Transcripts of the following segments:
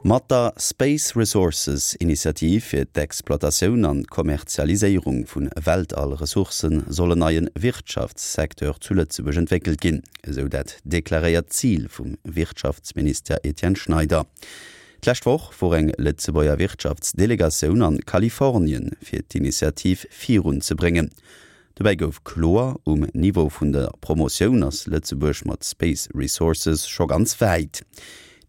Mat der Space Resources Initiativ fir d'Exploitatioun an d'Kommerzialiséierung vu Weltall-Ressourcë soll en neie Wirtschaftssecteur zu Lëtzebuerg entwéckelt ginn, esou dat deklaréiert Zil vum Wirtschaftsminister Etienne Schneider. D'lescht Woch wor eng Lëtzebuerger Wirtschaftsdelegatioun an Kalifornien fir d'Initiativ virunzebréngen. Dobäi gouf kloer, um Niveau vun der Promotioun ass Lëtzebuerg mat Space Resources scho ganz wäit.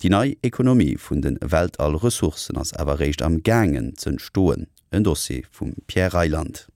Déi nei Ekonomie vun de Weltall-Ressourcen ass awer eréischt am gaangen z'entstoen. En Dossier vum Pierre Reyland.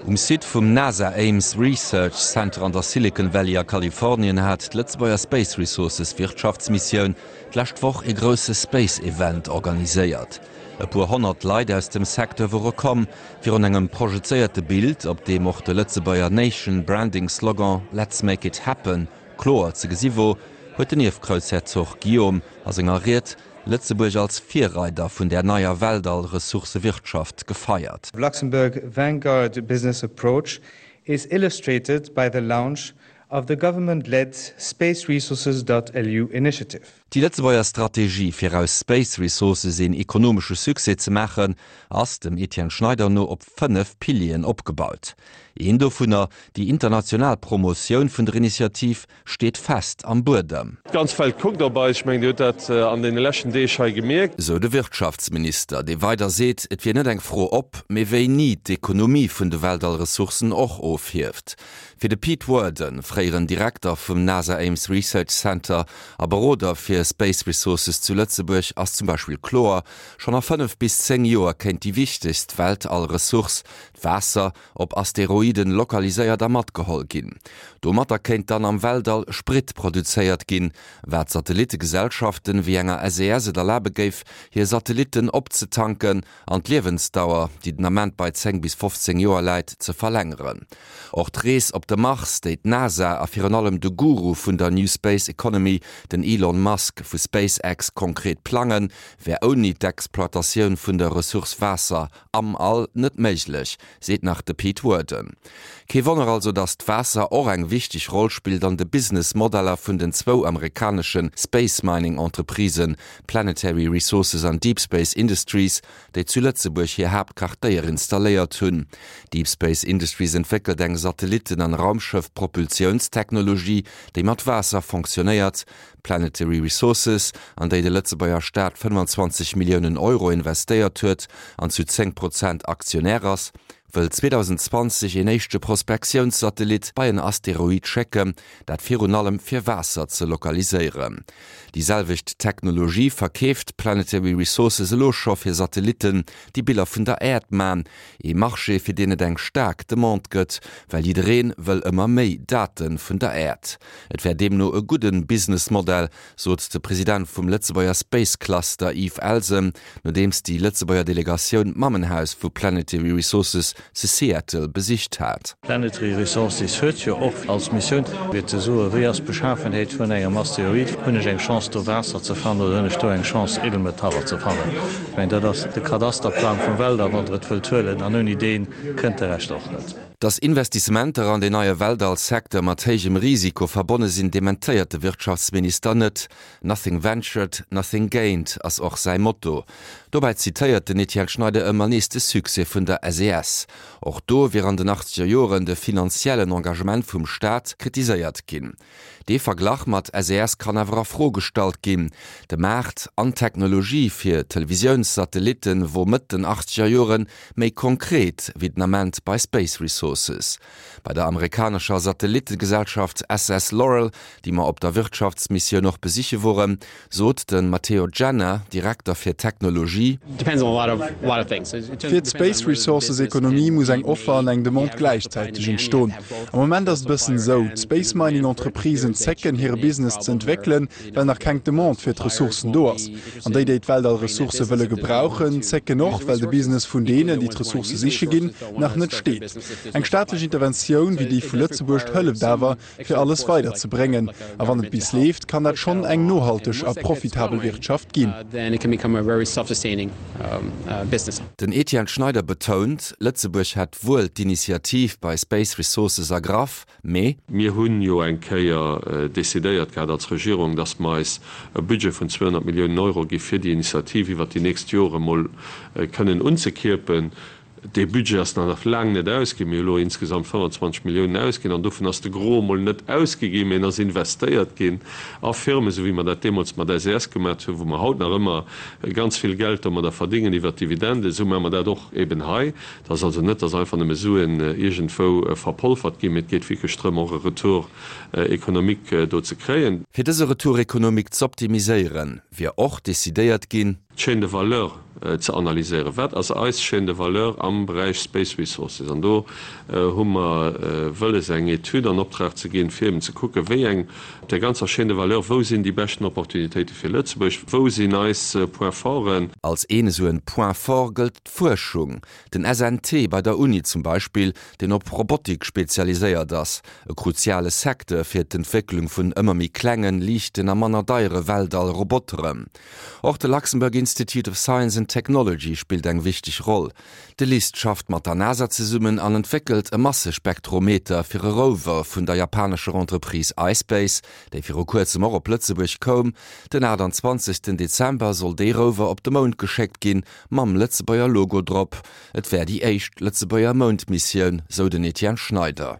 Um Site vum NASA Ames Research Center an der Silicon Valley a Kalifornien hat d'Lëtzebuerger Space Resources Wirtschaftsmissioun d'lescht Woch ee grousse Space Event organiséiert. E puer 100 Leit aus dem Secteur wore komm, virun engem projezéierte Bild, op deem och de Lëtzebuerger Nation Branding Slogan Let's make it happen kloer ze gesi wor, huet den Ierfgroussherzog Guillaume a senger Ried Lëtzebuerg als Virreider vun där neier Weltall-Ressourcewirtschaft gefeiert. Luxembourg Vanguard business approach is illustrated by the launch of the government-led spaceresources.lu initiative. Déi Lëtzebuerger Strategie, fir aus Space Resources een ekonomesche Succès ze maachen, ass dem Etienne Schneider no op 5 Pilieren opgebaut. Een dovunner, déi international Promotioun vun der Initiativ, steet fest am Buedem. D'ganz Welt kuckt op eis. Ech mengen, Dir hutt dat an deene leschten Deeg hei gemierkt. Esou de Wirtschaftsminister, dee weider seet, et wier net eng Fro ob, mee wéini d'Ekonomie vun de Weltallressourcen och ofhieft. Fir de Pete Worden, fréieren Direkter vum NASA Ames Research Center a Beroder fir Space Resources zu Lëtzebuerg, ass zum Beispill kloer, Schonn a 5 bis 10 Joer kéint déi wichtegst Weltall-Ressource, d'Waasser, op Asteroiden lokaliséiert a matgeholl ginn. Domatter kéint dann am Weltall Sprit produzéiert ginn, wat Satellittegesellschaften wéi enger SES et erlabe géif, hir Satellitten opzetanken an d'Liewensdauer, déi den Ament bei 10 bis 15 Joer läit, ze verlängeren. Och d'Rees op de Mars, déi d'NASA a virun allem de Guru vun der New Space Economy, den Elon Musk vu SpaceX, konkret plangen, wär ouni d'Exploitatioun vun der Ressource Waasser am All net méiglech, seet nach de Pete Worden. Kee Wonner also, datt d'Waasser och eng wichteg Roll spillt an de Business-Modeller vun den zwou amerikanesche Space-Mining-Entreprisen Planetary Resources an Deep Space Industries, déi zu Lëtzebuerg hir Haaptquartéier installéiert hunn. Deep Space Industries entwéckelt eng Satellitten an Raumschëff-Propulsiounstechnologie, déi mat Waasser fonctionnéiert. Planetary Resources, an déi de Lëtzebuerger Staat 25 Milliounen Euro investéiert huet an zu 10 Prozent Aktionär ass, wëll 2020 een éischte Prospektiounssatellit bei en Asteroid schécken, dat virun allem fir Waasser ze lokaliséieren. Déi selwecht Technologie verkeeft Planetary Resources elo scho fir Satellitten, déi Biller vun der Äerd man, ee Marché fir deen et eng staark Demande gëtt, well jidderee wëll ëmmer méi Date vun der Äerd. Et wär deemno e gudde Businessmodell, sot de President vum Lëtzebuerger Space Cluster Yves Elsen, nodeems déi Lëtzebuerger Delegatioun d'Mammenhaus vu Planetary Resources zu Seattle besicht hat. Planetary Resources huet jo och als Missioun, fir ze soen, wéi ass d'Beschafenheet vun engem Asteroid, hunn ech eng Chance do Waasser ze fannen oder hunn ech do eng Chance Edelmetaller ze fannen. Ech mengen, dat ass de Kadasterplang vum Weltall, wann Der et wëllt huelen, an ouni dee kënnt de Rescht och net. Datt Investissementer an deen neie Weltall-Secteur mat héijem Risiko verbonne sinn, dementéiert de Wirtschaftsminister net. Nothing ventured, nothing gained ass och säi Motto. Dobäi zitéiert den Etienne Schneider ëmmer nees de Succès vun der SES. Och do wier an den achtzeger Joren de finanziellen Engagement vum Staat kritiséiert ginn. Dee Verglach mat SES kann awer a Fro gestallt ginn. De Maart an d'Technologie fir Televisiounssatellitten wor Mëtt den achtzeger Joren méi konkret wéi den Ament bei Space Resources. Bei der amerikanescher Satellittegesellschaft SS Loral, déi mer op der Wirtschaftsmissioun och besiche woren, sot de Matteo Genna, Direkter fir Technologie. Fir d'Space Resources Ekonomie muss eng Offer an eng Demande gläichzäiteg entstoen. Am Moment ass et e bëssen esou, d'Space Mining Entreprisen zécken, hire Business ze entwéckelen, well nach keng Demande fir d'Ressourcen do ass. An déi, déi d'Weltall-Ressourcë wëlle gebrauchen, zécken och, well de Business vun deenen, déi d'Ressourcë siche ginn, nach net steet. Eng staatlech Interventioun wéi déi vu Lëtzebuerg hëlleft awer, fir alles weider ze bréngen. A wann et bis leeft, kann dat schonn eng nohalteg a profitabel Wirtschaft ginn. Den Etienne Schneider betount, Lëtzebuerg hätt wuel d'Initiativ bei Space Resources ergraff, mee. Mir hu jo eng Kéier decidéiert gehat als Regierung, dass mer eis e Budget vun 200 Milliounen Euro gi fir déi Initiativ iwwert déi nächst Jore mol kënnen unzekierpen. Dee Budget ass nach laang net ausginn. Mir hu elo insgesamt 25 Milliounen ausginn an dovun ass de Gros emol net ausgi ginn, mee en ass investéiert ginn a Firmen, esou wéi mer dat deemools mat SES gemaat hunn, wou mer haut nach ëmmer ganz vill Geld domadder verdingen iwwert d'Dividenden. Esou maache mer dat och eben hei. Et ass also net, dass einfach nëmme Suen iergendwou verpolfert ginn, mee et geet wierklech drëm, och e Retour économique do ze kréien. Fir dëse Retour économique z'optimiséieren, wier och decidéiert ginn, d'Chaîne de valeur ze analyséieren. Wat ass eis Chaîne de valeur am Beräich Space Resources? An do hu mer wëlles, eng Etüd an Optrag ze ginn, fir eben ze kucken, wéi eng op där ganzer Chaîne de valeur, wou sinn déi beschten Opportunitéite fir Lëtzebuerg, wou sinn eis Points forten? Als een esou en Point fort gëllt d'Fuerschung. Den SNT bei der Uni zum Beispill, deen op Robotik spezialiséiert ass, e kruziale Secteur fir d'Entwécklung vun ëmmer méi klengen, liichten a manner deiere Weltall-Roboteren. Och de Luxembourg Institute of Science and Technology spillt eng wichteg Roll. De LIST schafft mat der NASA zesummen an entwéckelt e Massespektrometer fir e Rover vun der japanescher Entreprise iSpace, déi viru kuerzem och op Lëtzebuerg koum. Den 28 Dezember soll dee Rover op de Mound geschéckt ginn, mam Lëtzebuerger Logo drop. Et wär déi éischt Lëtzebuerger Moundmissioun, sou den Etienne Schneider.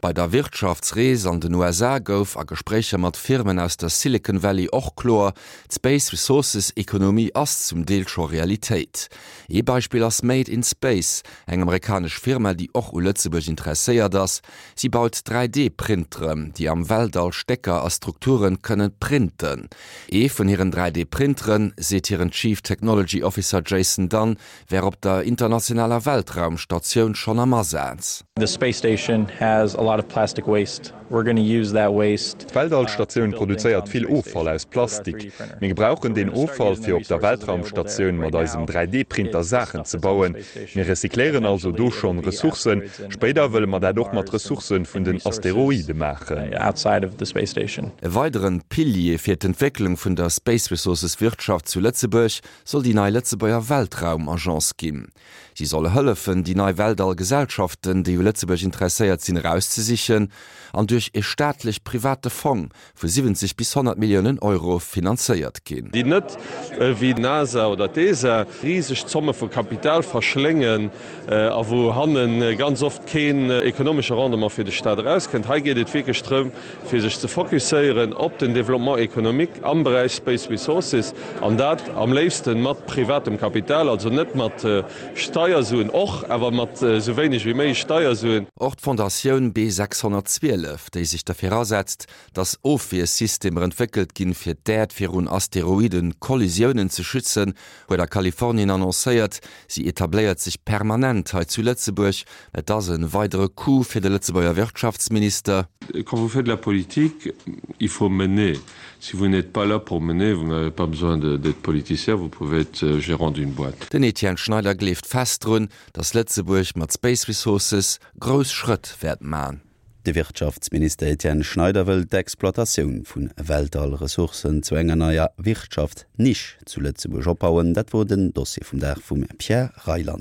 Bei der Wirtschaftsrees an den USA gouf a Gespréicher mat Firmen aus der Silicon Valley och kloer, D'Space Resources Ekonomie ass zum Deel scho Realitéit. Ee Beispill ass Made in Space, eng amerikanesch Firma, déi och u Lëtzebuerg interesséiert ass. Si baut 3D-Printeren, déi am Weltall Stécker a Strukture kënne printen. Ee vun hiren 3D-Printeren, seet hiren Chief Technology Officer Jason Dunn, wär op der internationaler Weltraumstatioun schonn am Asaz. The space station has a lot of plastic waste. We're gonna use that waste. D'Weltallstatioun produzéiert vill Offall aus Plastik. Mir gebrauchen deen Offall, fir op der Weltraumstatioun mat eisem 3D-Printer Saachen ze bauen. Mir recycléieren also do schonn Ressourcen. Spéider wëlle mer dat och mat Ressourcë vun den Asteroide maachen. E weideren Pilier fir d'Entwécklung vun der Space Resources Wirtschaft zu Lëtzebuerg soll déi nei Lëtzebuerger Weltraumagence ginn. Si soll hëllefen, déi nei Weltall-Gesellschaften, déi u Lëtzebuerg interesséiert sinn, erauszesichen an duerch e staatlech-private Fong vu 70 bis 100 Milliounen Euro finanzéiert ginn. Déi net wéi d'NASA oder d'ESA riseg Zomme vu Kapital verschléngen a wou hanne ganz oft keen ekonomesche Rendement fir de Staat erauskënnt. Hei geet et wierklech drëm, fir sech ze fokusséieren op den Développement économique am Beräich Space Resources, an dat am léifsten mat privatem Kapital, also net mat Steiersuen, och awer mat esou wéineg wéi méiglech Steiersuen. Och d'Fondatioun B 612, déi sech derfir asetzt, datt Ofwiersystemer entwéckelt ginn, fir d'Äerd virun Asteroiden-Kollisiounen ze schützen, huet a Kalifornien annoncéiert, si etabléiert sech permanent hei zu Lëtzebuerg. Et ass e weidere Coup fir de Lëtzebuerger Wirtschaftsminister. Quand vous faites de la politique, il faut mener. Si vous n'êtes pas là pour mener, vous n'avez pas besoin d'être politicien, vous pouvez être gérant d'une boîte. Den Etienne Schneider gleeft fest drun, datt Lëtzebuerg mat Space Resources grouss Schrëtt wäert man. De Wirtschaftsminister Etienne Schneider wëll d'Exploitatioun vu Weltall-Ressourcen zu enger neier Wirtschaftsnisch zu Lëtzebuerg opbauen. Dat wor den Dossier vum Dag vum Pierre Reyland.